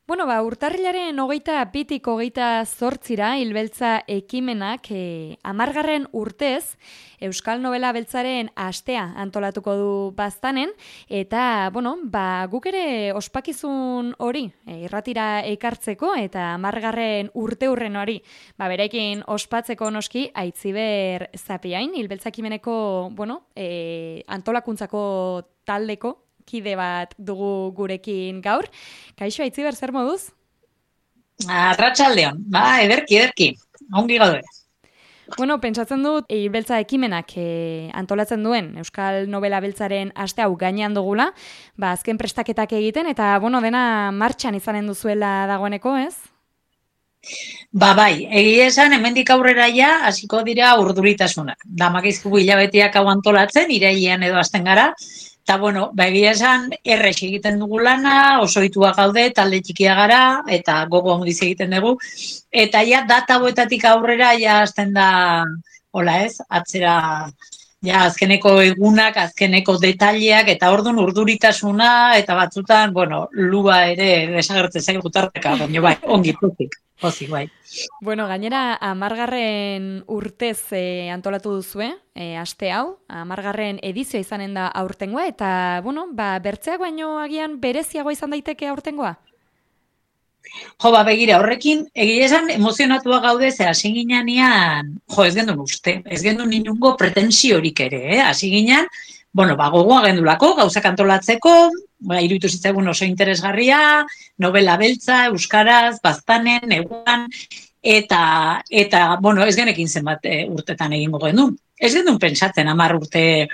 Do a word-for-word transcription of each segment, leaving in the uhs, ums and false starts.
Bueno, ba, urtarrilaren hogeita bitik hogeita zortzira hilbeltza ekimenak e, amargarren urtez Euskal Nobela Beltzaren astea antolatuko du Baztanen, eta, bueno, ba, guk ere ospakizun hori e, irratira ekartzeko eta amargarren urte hurren hori, ba, berekin ospatzeko noski Aitziber Zapiain, hilbeltza ekimeneko, bueno, e, antolakuntzako taldeko kide bat dugu gurekin gaur. Kaixo, Aitziber, zer moduz? Arratsaldeon, ba, ederki, ederki, ongi gaude. Bueno, pentsatzen dut, hilbeltza ekimenak e, antolatzen duen Euskal Nobela Beltzaren aste hau gainean dugula, ba, azken prestaketak egiten, eta, bueno, dena martxan izanen duzuela dagoeneko, ez? Ba, bai, egia esan, hemendik aurrera ja, hasiko dira urduritasunak. Damakizkugu hilabeteak hau antolatzen, irailean edo hasten gara, eta, bueno, ba, egia esan, errex egiten dugu lana, oso ohitua gaude, talde txikia gara, eta gogo handiz egiten dugu, eta ja, data hauetatik aurrera, ja, hasten da, hola ez, atzera, ja, azkeneko egunak, azkeneko detaileak, eta orduan urduritasuna, eta batzutan, bueno, lua ere desagertzen zaigu gutarteka, baina bai, ongi pozik. Pozik, bai. Bueno, gainera, amargarren urtez e, antolatu duzue, e, aste hau, amargarren edizioa izanen da aurtengoa, eta, bueno, ba, bertzeak baino agian bereziagoa izan daiteke aurtengoa? Jo, ba, begira, horrekin, egia esan, emozionatua gaude, ze hasi ginean, jo, ez gendun uste, ez gendun inungo pretensiorik ere, eh? Hasi ginean, bueno, ba, gogoa gendulako, gauzak antolatzeko, ba, iruditu zitzaigun oso interesgarria, novela beltza, euskaraz, Baztanen, eguan, eta, eta, bueno, ez genekin zenbat e, urtetan egingo gendun. Ez gendun pentsatzen, amar urte,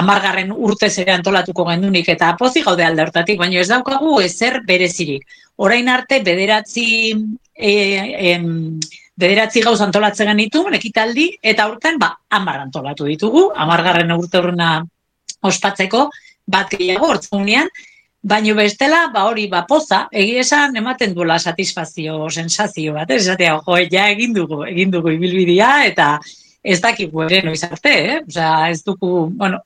amargarren urtez ere antolatuko gendunik, eta pozik gaude alde hortatik, baina ez daukagu ezer berezirik. Orain arte, bederatzi, e, em, bederatzi gauz antolatzen genitu, ekitaldi, eta aurten, ba, amar antolatu ditugu, amargarren urte horrena ospatzeko, bat gehiago hortzunean, baina bestela, ba hori, ba poza, egia esan ematen duela satisfazio, sensazio bat, ez esatea, jo, ja egin dugu, egin dugu ibilbidea, eta ez dakigu ere noiz arte, eh? Osea, ez dugu, bueno,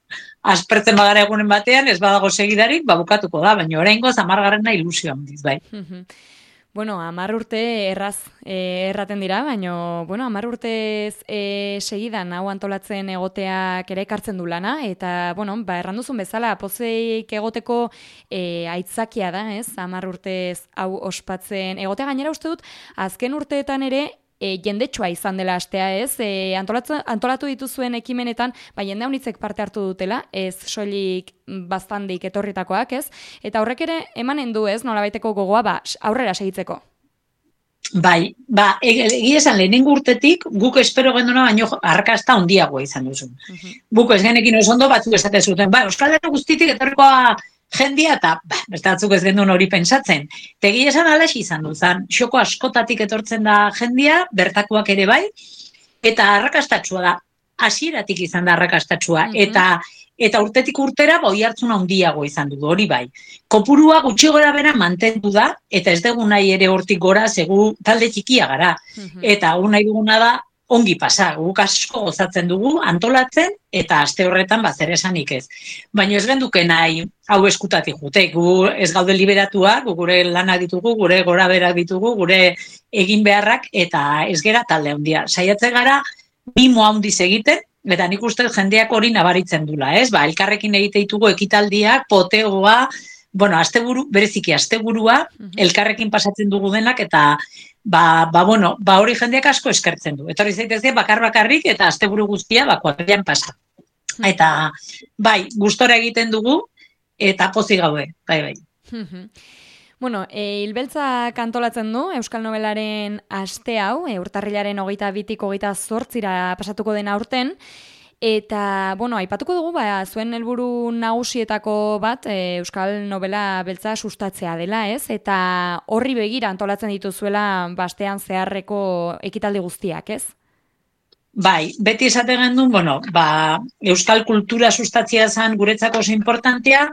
aspertzen bagara egunen batean, ez badago segidarik, ba bukatuko da, baina oraingoz hamargarrena ilusio handiz, bai. Bueno, hamar urte erraz e, erraten dira, baina, bueno, hamar urtez e, segidan hau antolatzen egoteak ere ekartzen du lana, eta, bueno, ba, erranduzun bezala, pozeik egoteko e, aitzakia da, ez, hamar urtez hau ospatzen egotea. Gainera uste dut, azken urteetan ere, E, jendetsua izan dela astea, ez? E, antolatu, antolatu dituzuen ekimenetan, ba, jende haunitzek parte hartu dutela, ez soilik Baztandik etorritakoak, ez? Eta horrek ere emanen du, ez? Nolabaiteko gogoa, ba, aurrera segitzeko. Bai, ba, egia esan lehenengo urtetik, guk espero genduna, baino arrakasta handiagoa izan duzu. Uh -huh. Guk ez genekin oso ondo batzuk esate zuten, ba, Euskal Herri guztitik etorrikoa jendia, eta ba, beste batzuk ez gendun hori pentsatzen. Tegia esan alaxi izan du, zan, xoko askotatik etortzen da jendia, bertakoak ere bai, eta arrakastatsua da, hasieratik izan da arrakastatsua, mm-hmm. eta eta urtetik urtera boi hartzuna handiago izan du, hori bai. Kopurua gutxi gora bera mantendu da, eta ez dugu nahi ere hortik gora, segu talde txikia gara, mm-hmm. eta hau nahi duguna da, ongi pasa, guk asko gozatzen dugu, antolatzen, eta aste horretan bazer esanik ez. Baina ez genduke nahi hau eskutatik jute, gu ez gaude liberatuak, gu gure lanak ditugu, gure gora berak ditugu, gure egin beharrak, eta ez gera talde handia. Saiatze gara, mimo handiz egiten, eta nik uste jendeak hori nabaritzen dula, ez? Ba, elkarrekin egite ditugu ekitaldiak, potegoa, bueno, asteburu, bereziki asteburua, uh-huh. elkarrekin pasatzen dugu denak, eta Ba, ba, bueno, ba hori jendeak asko eskertzen du. Etorri zaitezke bakar bakarrik eta asteburu guztia ba kuadrilan pasa. Eta bai, gustora egiten dugu eta pozik gaude. Bai, bai. Bueno, e, hilbeltzak antolatzen du Euskal Nobelaren aste hau, e, urtarrilaren hogeita bitik hogeita zortzira pasatuko den aurten. Eta, bueno, aipatuko dugu, ba, zuen helburu nagusietako bat e, Euskal Nobela Beltza sustatzea dela, ez? Eta horri begira antolatzen dituzuela bastean zeharreko ekitaldi guztiak, ez? Bai, beti esaten gendun, bueno, ba, Euskal kultura sustatzea zen guretzako oso importantea,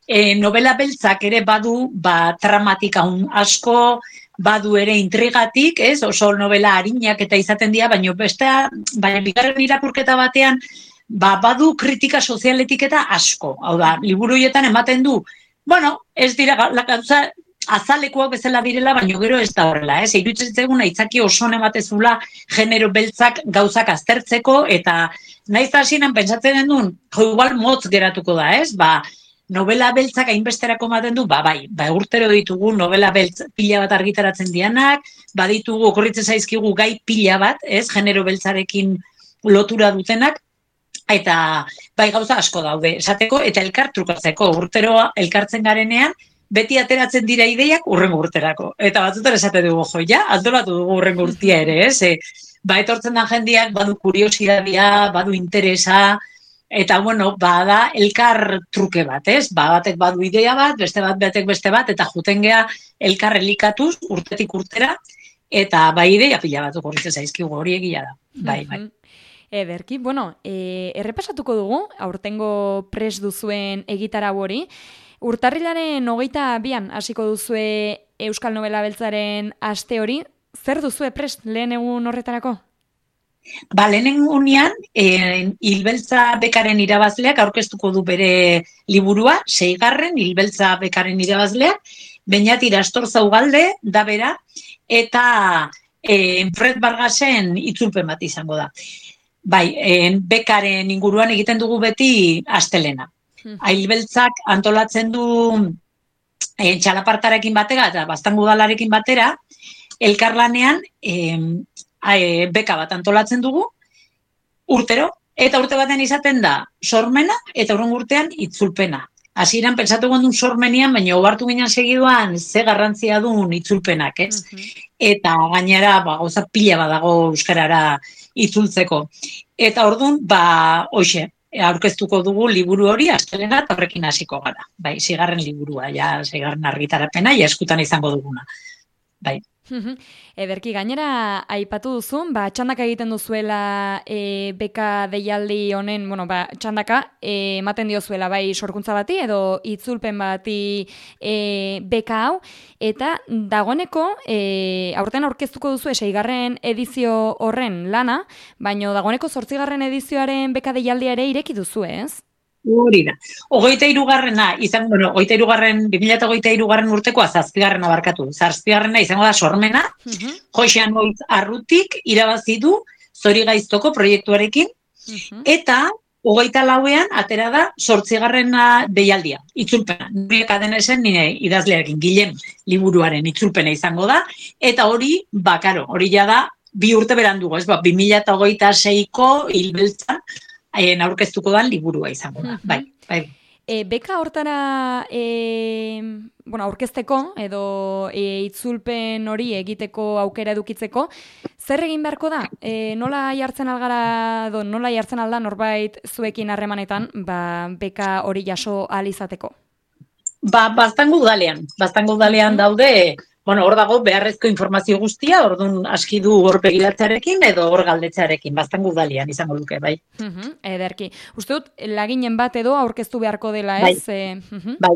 e, novela beltzak ere badu, ba, tramatika un asko, badu ere intrigatik, ez, oso novela arinak eta izaten dira, baina bestea, baina bigarren irakurketa batean, ba, badu kritika sozialetik eta asko. Hau da, liburu horietan ematen du, bueno, ez dira, gauza azalekoak bezala direla, baina gero ez da horrela, ez? Iruditzen zaigun aitzaki oso ematezula genero beltzak gauzak aztertzeko, eta naiz hasieran pentsatzen genuen, jo igual motz geratuko da, ez? Ba, novela beltzak hainbesterako ematen du, ba, bai, ba, urtero ditugu novela beltz pila bat argitaratzen dianak, baditugu, okorritzen zaizkigu gai pila bat, ez? Genero beltzarekin lotura dutenak, eta bai gauza asko daude, esateko, eta elkar trukatzeko, urtero elkartzen garenean, beti ateratzen dira ideiak urrengo urterako. Eta batzutan esate dugu, jo, ja, antolatu dugu urrengo urtia ere, ez? E, ba, etortzen da jendeak, badu kuriosidadia, badu interesa, eta, bueno, bada elkar truke bat, ez? Ba, batek badu idea bat, beste bat, batek beste bat, eta juten gea elkar elikatuz, urtetik urtera, eta bai ideia pila bat okorritzen zaizkigu, hori egia da. Bai, bai. Ederki, bueno, e, errepasatuko dugu, aurtengo pres duzuen egitarau hori. Urtarrilaren hogeita bian hasiko duzue Euskal Novela Beltzaren aste hori. Zer duzue prest lehen egun horretarako? Ba, lehen egunean, e, Hilbeltza bekaren irabazleak aurkeztuko du bere liburua, seigarren Hilbeltza bekaren irabazleak, Beñat Irastorza Ugalde da bera, eta e, Fred Vargasen itzulpen bat izango da. Bai, e, bekaren inguruan egiten dugu beti astelena. Hilbeltzak antolatzen du e, txalapartarekin batera eta Baztango udalarekin batera, elkarlanean e, e, beka bat antolatzen dugu, urtero, eta urte baten izaten da sormena eta urren urtean itzulpena. Hasieran pentsatu gondun sormenian, baina obartu ginen segiduan ze garrantzia duen itzulpenak, ez? Uh -huh. Eta gainera, ba, gauza pila badago euskarara itzultzeko. Eta orduan, ba, hoxe, aurkeztuko dugu liburu hori astelena eta horrekin hasiko gara. Bai, seigarren liburua, ja, seigarren argitarapena, ja eskutan izango duguna. Bai. Ederki, gainera aipatu duzun, ba, txandaka egiten duzuela e, beka deialdi honen, bueno, ba, txandaka e, ematen diozuela bai sorkuntza bati edo itzulpen bati e, beka hau, eta dagoeneko e, aurten aurkeztuko duzu seigarren edizio horren lana, baino dagoeneko zortzigarren edizioaren beka deialdia ere ireki duzu, ez? Hori da. Hogeita hirugarrena, izan, bueno, hogeita hirugarren, bi mila hogeita hirugarren urtekoa zazpigarrena barkatu. Zazpigarrena izango da sormena, uh-huh. Josean Moitz Arrutik irabazi du Zori Gaiztoko proiektuarekin, uh-huh. Eta hogeita lauean atera da zortzigarrena deialdia, itzulpena. Nuriek adenesen nire idazlearekin, Gilen liburuaren itzulpena izango da, eta hori, bakaro, hori ja da, bi urte berandugo, ez ba, bi mila hogeita seiko Hilbeltzan, haien aurkeztuko da liburua izango da, bai, bai. E, beka hortara e, bueno, aurkezteko edo e, itzulpen hori egiteko aukera edukitzeko, zer egin beharko da? E, nola jartzen algara, do, nola jartzen alda norbait zuekin harremanetan, ba, beka hori jaso ahal izateko? Ba, Baztango udalean, Baztango udalean daude, bueno, hor dago beharrezko informazio guztia, orduan aski du hor begiratzearekin edo hor galdetzearekin, Baztango udalean izango duke, bai. Uh-huh, ederki. Uste dut, laginen bat edo aurkeztu beharko dela, ez? Bai, e, uh-huh. bai.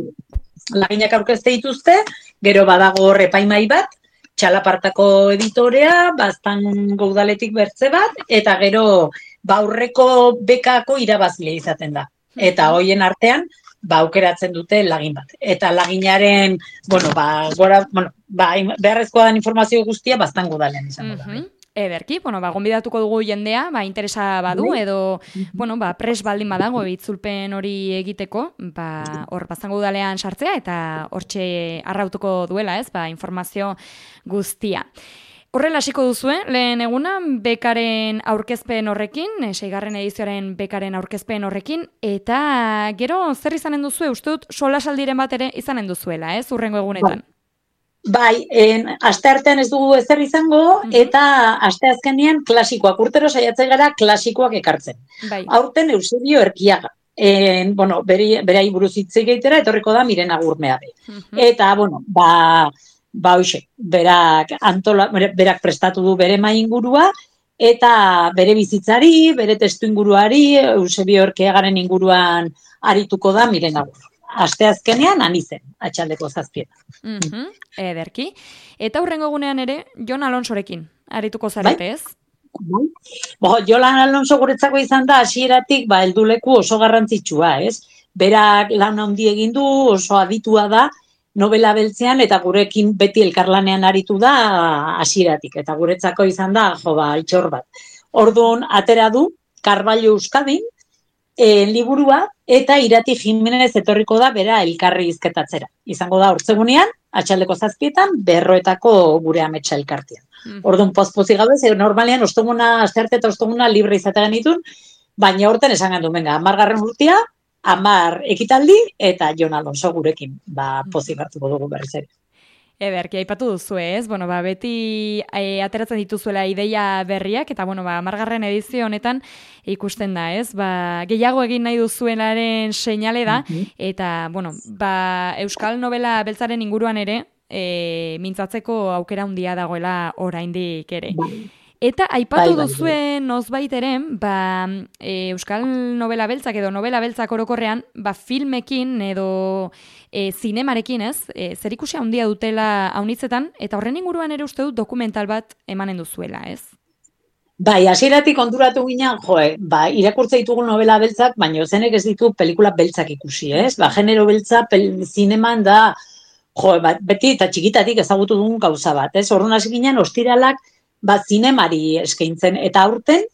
Laginak aurkezte dituzte, gero badago hor epaimai bat, txalapartako editorea, Baztango udaletik bertze bat, eta gero baurreko bekako irabazlea izaten da. Eta hoien artean, ba, aukeratzen dute lagin bat. Eta laginaren, bueno, ba, gora, bueno, ba, beharrezkoa den informazio guztia Baztango udalean izango da. Uh-huh. Ederki, bueno, ba, gonbidatuko dugu jendea, ba, interesa badu, edo, bueno, ba, pres baldin badago itzulpen hori egiteko, ba, hor Baztango udalean sartzea, eta hortxe arrautuko duela, ez, ba, informazio guztia. Horrela hasiko duzue, lehen eguna, bekaren aurkezpen horrekin, seigarren edizioaren bekaren aurkezpen horrekin, eta gero zer izanen duzue, uste dut solasaldiren bat ere izanen duzuela, ez, urrengo egunetan? Bai, en, aste artean ez dugu ezer izango, uh-huh. Eta aste azkenean klasikoak, urtero saiatzen gara klasikoak ekartzen. Bai. Aurten Eusebio Erkiaga. En, bueno, bere, berai buruz hitz egitera etorriko da Miren Agurmeabe. Uh-huh. Eta, bueno, ba... Ba, hoxe, berak, antola, berak prestatu du bere mai ingurua, eta bere bizitzari, bere testu inguruari, Eusebio Erkiagaren inguruan arituko da Miren Agur. Asteazkenean anizen, atxaldeko zazpietan. Mm-hmm, ederki. Eta hurrengo egunean ere, Jon Alonsorekin arituko zarete, ez? Bai. Bo, Jon Alonso guretzako izan da, hasieratik ba, helduleku oso garrantzitsua, ez? Berak lan handi egin du, oso aditua da, novela beltzean, eta gurekin beti elkarlanean aritu da hasieratik, eta guretzako izan da, jo, ba, itxor bat. Orduan, atera du, Carballo Euskadin, e, liburua, eta Irati Jimenez etorriko da bera elkarri izketatzera. Izango da, hortzegunean, atxaldeko zazpietan, berroetako gure ametsa elkartean. Mm. Orduan, pozpozik gabe, ze normalean, ostomuna, astearte eta ostomuna libre izategan ditun, baina horten esan gandu, venga, amargarren urtia, amar ekitaldi, eta Jon Alonso gurekin, ba, pozik hartuko dugu berriz ere. Ederki, aipatu duzu ez, bueno, ba, beti e, ateratzen dituzuela ideia berriak, eta bueno, ba, amargarren edizio honetan ikusten da, ez? Ba, gehiago egin nahi duzuenaren seinale da, mm-hmm. eta bueno, ba, Euskal Novela beltzaren inguruan ere, e, mintzatzeko aukera handia dagoela oraindik ere. Bai. Eta aipatu bai, bai, duzuen nozbait ere, ba, e, Euskal Novela beltzak edo novela beltzak orokorrean, ba, filmekin edo e, zinemarekin, ez, e, zerikusia handia dutela haunitzetan, eta horren inguruan ere uste dut dokumental bat emanen duzuela, ez? Bai, hasieratik onduratu ginen, joe, ba, irakurtza ditugu novela beltzak, baina zenek ez ditu pelikula beltzak ikusi, ez? Ba, genero beltza pel, zineman da, joe, ba, beti eta txikitatik ezagutu dugun gauza bat, ez? Orduan hasi ginen, ostiralak, ba, zinemari eskaintzen, eta aurten,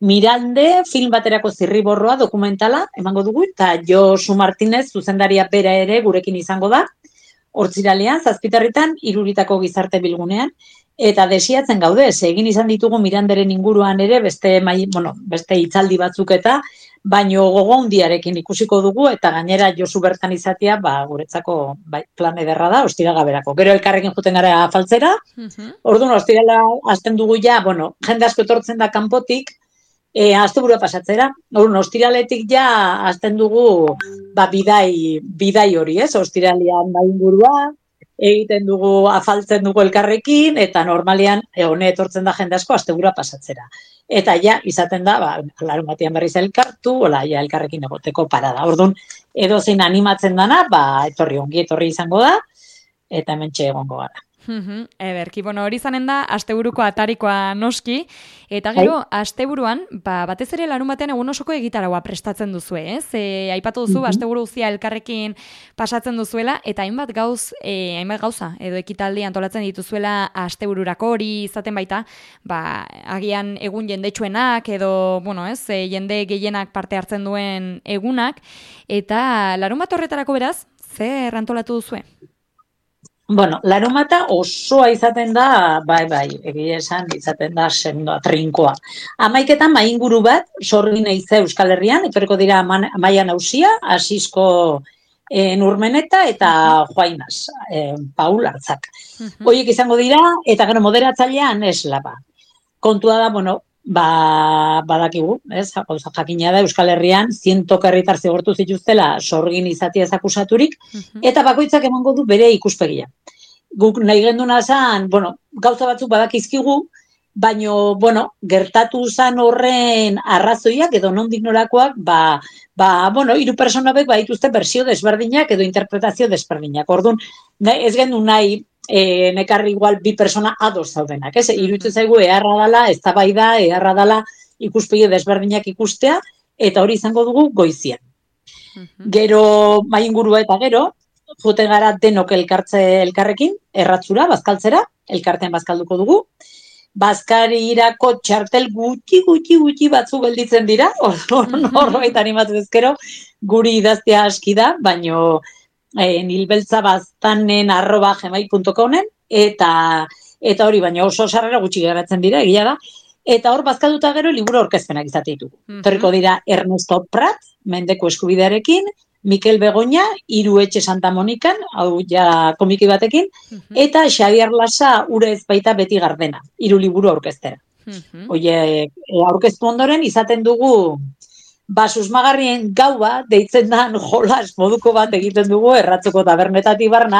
Mirande film baterako zirriborroa dokumentala emango dugu, eta Josu Martinez zuzendaria bera ere gurekin izango da, hortziralean, zazpitarritan, iruritako gizarte bilgunean, eta desiatzen gaude, egin izan ditugu Miranderen inguruan ere, beste, mai, bueno, beste hitzaldi batzuk eta, baino gogo handiarekin ikusiko dugu, eta gainera Josu bertan izatea, ba, guretzako bai, plan ederra da, ostiraga berako. Gero elkarrekin juten gara afaltzera, uh-huh. Orduan, ostirala hasten dugu ja, bueno, jende asko etortzen da kanpotik, e, asteburua pasatzera. Orduan, ostiraletik ja hasten dugu ba, bidai, bidai hori, ez? Ostiralean da ingurua, egiten dugu, afaltzen dugu elkarrekin, eta normalean, hone etortzen da jende asko, asteburua pasatzera. Eta ja, izaten da, ba, larun batean berriz elkartu, ola, ja, elkarrekin egoteko parada. Orduan, edo zein animatzen dana, ba, etorri ongi, etorri izango da, eta hementxe egongo gara. Mm-hmm. Ederki, bueno, hori zanen da, asteburuko atarikoa noski, eta gero, Hai. asteburuan, ba, batez ere larun batean egun osoko egitaragoa prestatzen duzu, ez? E, aipatu duzu, mm-hmm. asteburu guztia elkarrekin pasatzen duzuela, eta hainbat gauz, e, hainbat gauza, edo ekitaldi antolatzen dituzuela astebururako hori izaten baita, ba, agian egun jendetsuenak, edo, bueno, ez, e, jende gehienak parte hartzen duen egunak, eta larun bat horretarako beraz, zer antolatu duzue? Bueno, larunbata osoa izaten da, bai, bai, egia esan izaten da sendoa, trinkoa. Hamaiketan mainguru bat, sorgin eize Euskal Herrian, etorriko dira Amaia Nausia, Asisko e, Nurmeneta eta Juainaz, e, Paul Artzak. Hoiek izango dira, eta gero moderatzailean eslaba. Kontua da, bueno, ba, badakigu, ez, gauza jakina da Euskal Herrian, zientok herritar zigortu zituztela sorgin izatia akusaturik, uh-huh. eta bakoitzak emango du bere ikuspegia. Guk nahi genduna zan, bueno, gauza batzuk badakizkigu, baino, bueno, gertatu zan horren arrazoiak edo nondik norakoak, ba, ba, bueno, hiru personabek badituzte bersio desberdinak edo interpretazio desberdinak. Orduan, ez gendu nahi, E, nekarri igual bi persona ados zaudenak, ez? Iruditzen zaigu eharra dala, eztabaida, eharra dala ikuspegi desberdinak ikustea, eta hori izango dugu goizian. Uh-huh. Gero, mai ingurua eta gero, joten gara denok elkartze elkarrekin, erratzura, bazkaltzera, elkartean bazkalduko dugu. Bazkarirako txartel gutxi, gutxi, gutxi batzu gelditzen dira, horbait animatu ezkero, guri idaztea aski da, baino... E, nilbeltza baztanen arroba gmail punto comen eta eta hori baina oso sarrera gutxi geratzen dira, egia da, eta hor bazkalduta gero liburu aurkezpenak izate ditugu. Mm-hmm. Torriko dira Ernesto Prat, Mendeko eskubidearekin, Mikel Begoña, Hiru Etxe Santa Monikan, hau ja komiki batekin, mm-hmm. eta Xabier Lasa Urez baita beti gardena, hiru liburu aurkeztera. Mm-hmm. Oie, aurkeztu ondoren izaten dugu ba, susmagarrien gaua, deitzen da jolas moduko bat egiten dugu erratzeko tabernetatik barna,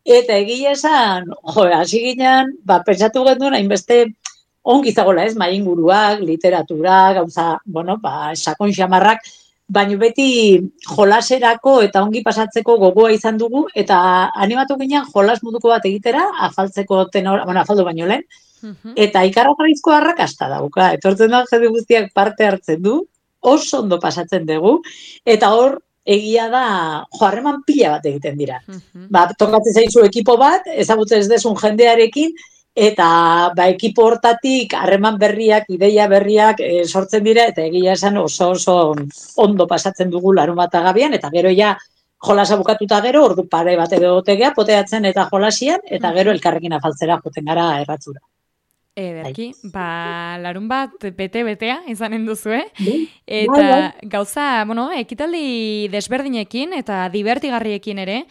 eta egia esan, jo, hasi ginen, ba, pentsatu genduen, hainbeste ongi zagola ez, mainguruak, literatura, gauza, bueno, ba, sakon xamarrak, baina beti jolaserako eta ongi pasatzeko gogoa izan dugu, eta animatu ginen jolas moduko bat egitera, afaltzeko tenor, bueno, afaldu baino lehen, uh-huh. eta ikarrakarrizko arrakasta dauka, etortzen da jende guztiak parte hartzen du, oso ondo pasatzen dugu, eta hor, egia da, jo, harreman pila bat egiten dira. Uh-huh. Ba, tokatzen zaizu ekipo bat, ezagutzen ez desun jendearekin, eta ba, ekipo hortatik harreman berriak, ideia berriak e, sortzen dira, eta egia esan oso oso ondo pasatzen dugu larun bat agabian, eta gero ja jolasa bukatuta gero, ordu pare bat edo gotegea, poteatzen eta jolasian, eta gero elkarrekin afaltzera joten gara erratzura. Ederki, ba, larun bat bete-betea izanen duzu, eh? Eta gauza, bueno, ekitaldi desberdinekin eta divertigarriekin ere,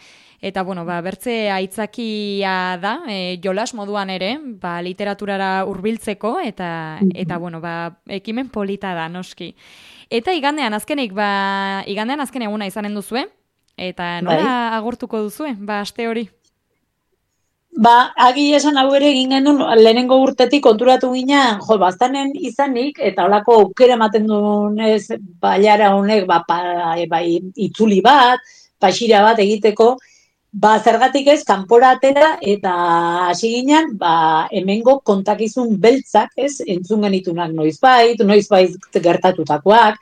eta, bueno, ba, bertze aitzakia da, e, jolas moduan ere, ba, literaturara hurbiltzeko eta, eta, bueno, ba, ekimen polita da, noski. Eta igandean azkenik, ba, igandean azken eguna izanen duzu, eta nola bai. Agurtuko duzu, ba, aste hori? Ba, agi esan hau ere egin genuen lehenengo urtetik konturatu ginen, jo, baztanen izanik, eta holako aukera ematen duenez, baiara honek, ba, pa, ba, itzuli bat, paxira bat egiteko, ba, zergatik ez, kanpora atera, eta hasi ginen, ba, hemengo kontakizun beltzak, ez, entzun genitunak noizbait, noizbait gertatutakoak,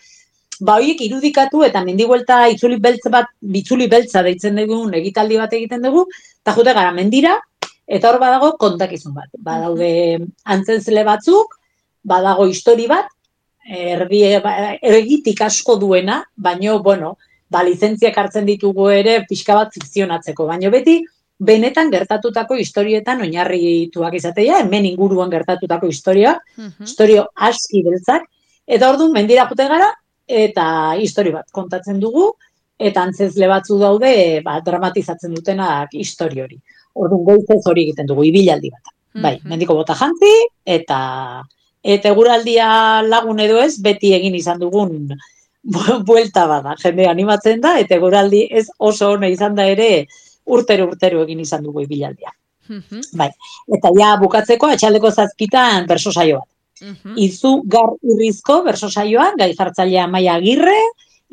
ba, horiek irudikatu, eta mendibuelta itzuli beltz bat, bitzuli beltza deitzen dugun, egitaldi bat egiten dugu, eta jute gara mendira, eta hor badago kontakizun bat. Badaude antzenzle batzuk, badago histori bat, erdi, ergitik asko duena, baino, bueno, ba, lizentziak hartzen ditugu ere pixka bat fikzionatzeko. Baino beti, benetan gertatutako historietan oinarrituak izatea, hemen inguruan gertatutako historia, uh-huh. historio aski beltzak, eta orduan mendira jute gara, eta histori bat kontatzen dugu, eta antzezle batzu daude, ba, dramatizatzen dutenak histori hori. Orduan goizez hori egiten dugu, ibilaldi bat. Mm-hmm. Bai, mendiko bota jantzi, eta eta eguraldia lagun edo ez, beti egin izan dugun buelta bada. Jende animatzen da, eta eguraldi ez oso ona izan da ere, urtero-urtero egin izan dugu ibilaldia. Mm-hmm. Bai, eta ja bukatzeko, atxaldeko zazpitan berso saio bat. Mm-hmm. Izu gar irrizko berso saioan, gai jartzailea Amaia Agirre,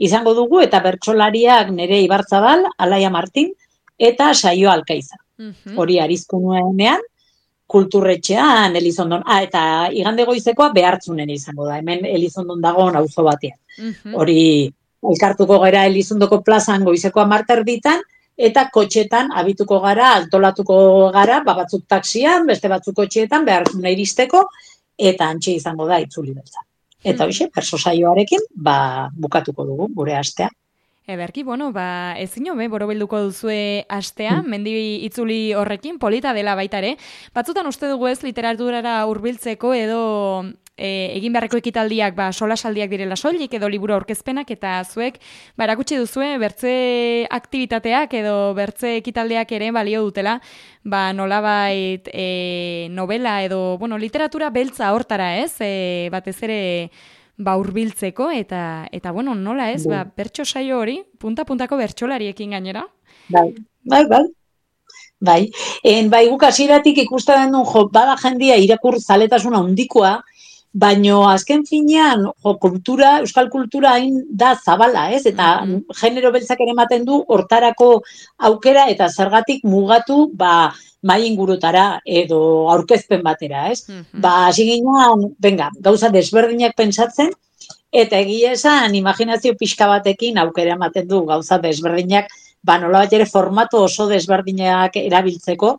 izango dugu, eta bertsolariak nere Ibarzabal, Alaia Martin, eta saio Alkaiza. Uh-huh. Hori arizko nuenean, kulturretxean, Elizondon, ah, eta igande goizekoa behartzunen izango da, hemen Elizondon dagoen auzo batean. Uh-huh. Hori elkartuko gara Elizondoko plazan goizekoa marter ditan, eta kotxetan abituko gara, altolatuko gara, ba, batzuk taksian, beste batzuk kotxeetan, behartzuna iristeko, eta antxe izango da itzuli beltza. Eta hoxe, uh-huh. perso saioarekin, ba, bukatuko dugu, gure astea. Eberki, bueno, ba, ezin jo, borobilduko duzue astea, mendi itzuli horrekin, polita dela baita ere. Batzutan uste dugu ez literaturara hurbiltzeko edo e, egin beharreko ekitaldiak ba, solasaldiak direla soilik edo liburu aurkezpenak, eta zuek ba, erakutsi duzue bertze aktibitateak edo bertze ekitaldiak ere balio dutela, ba, nolabait e, novela edo bueno, literatura beltza hortara ez, e, batez ere ba hurbiltzeko eta eta bueno, nola ez, ba bertso saio hori punta-puntako bertsolariekin gainera. Bai, bai, bai. Bai, en bai guk hasieratik ikusten duen jo, bada jendia irakur zaletasuna handikoa, baino azken finean, jo, kultura, euskal kultura hain da zabala, ez? Eta mm-hmm. genero beltzak ere ematen du hortarako aukera eta zergatik mugatu, ba mai ingurutara edo aurkezpen batera, ez? Mm-hmm. Ba, hasi ginean, venga, gauza desberdinak pentsatzen, eta egia esan, imaginazio pixka batekin aukera ematen du gauza desberdinak, ba, nolabait ere formatu oso desberdinak erabiltzeko,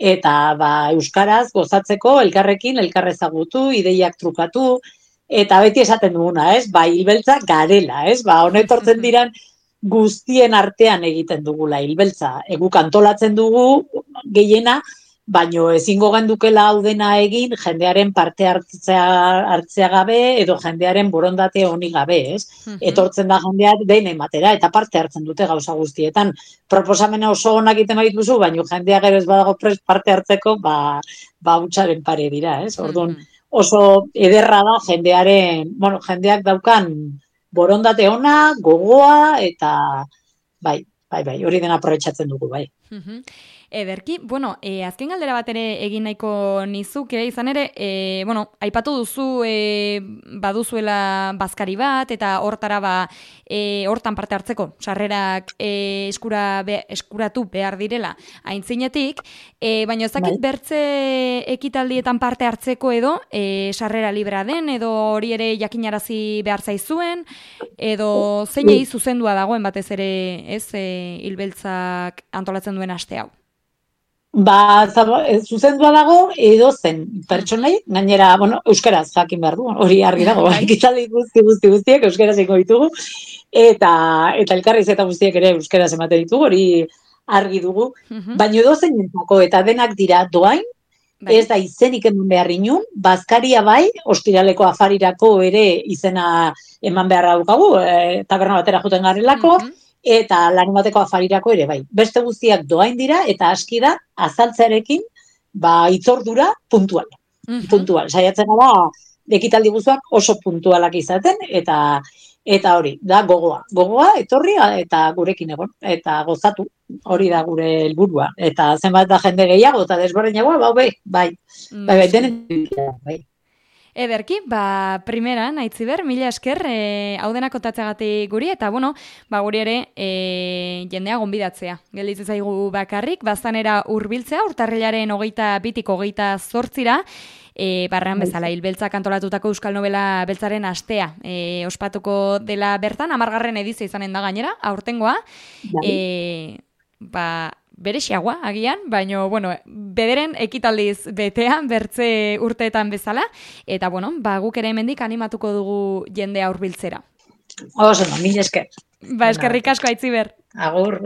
eta ba, euskaraz gozatzeko, elkarrekin, elkarrezagutu, ideiak trukatu, eta beti esaten duguna, ez? Ba, hilbeltza garela, ez? Ba, honetortzen diran, guztien artean egiten dugula hilbeltza. Eguk antolatzen dugu gehiena, baino ezingo gendukela hau dena egin jendearen parte hartzea, hartzea gabe edo jendearen borondate honi gabe, ez? Uh-huh. Etortzen da jendea den ematera eta parte hartzen dute gauza guztietan. Proposamena oso onak egiten badituzu, baino jendea gero ez badago prest parte hartzeko, ba, ba hutsaren pare dira, ez? Orduan oso ederra da jendearen, bueno, jendeak daukan borondate ona, gogoa, eta bai, bai, bai, hori dena aprobetxatzen dugu, bai. Uh-huh. Ederki, bueno, e, azken galdera bat ere egin nahiko nizuke, izan ere, e, bueno, aipatu duzu e, baduzuela bazkari bat, eta hortara ba, e, hortan parte hartzeko, sarrerak e, eskura be, eskuratu behar direla aintzinetik, e, baina ezakit Bai. bertze ekitaldietan parte hartzeko edo, e, sarrera libra den, edo hori ere jakinarazi behar zaizuen, edo zeinei zuzendua dagoen batez ere, ez, e, hilbeltzak antolatzen duen aste hau. Ba, zaba, e, zuzendua dago edo zen pertsonei, gainera, bueno, euskaraz jakin behar du, hori argi dago, Bai. ekitaldi guzti guzti guztiek euskaraz ingo ditugu, eta eta elkarriz eta guztiek ere euskaraz ematen ditugu, hori argi dugu, Mhm. baina edo zeinentzako eta denak dira doain, Bai. ez da izenik eman behar inun, bazkaria bai, ostiraleko afarirako ere izena eman beharra daukagu, e, taberna batera joten garelako, Mhm. eta larunbateko afarirako ere bai. Beste guztiak doain dira, eta aski da, azaltzearekin, ba, itzordura puntual. Mhm. Puntual. Saiatzen da, ekitaldi guztuak oso puntualak izaten, eta eta hori, da gogoa. Gogoa, etorri, eta gurekin egon, eta gozatu. Hori da gure helburua. Eta zenbat da jende gehiago, eta desberdinagoa, ba, bai, bai. Bai, bai, denen, bai. Ederki, ba, primeran, Aitziber, mila esker, e, hau dena kontatzeagatik guri, eta bueno, ba, guri ere e, jendea gonbidatzea. Gelditzen zaigu bakarrik, baztanera hurbiltzea, urtarrilaren hogeita bitik hogeita zortzira, e, barrean bezala, hilbeltzak antolatutako Euskal Nobela beltzaren astea. E, ospatuko dela bertan, amargarren edizia izanen da gainera, aurtengoa, e, ba, berexiagoa, agian, baino, bueno, bederen ekitaldiz betean, bertze urteetan bezala, eta, bueno, ba, guk ere hemendik animatuko dugu jendea hurbiltzera. Oso, mila esker. Ba, eskerrik asko, Aitziber. Agur.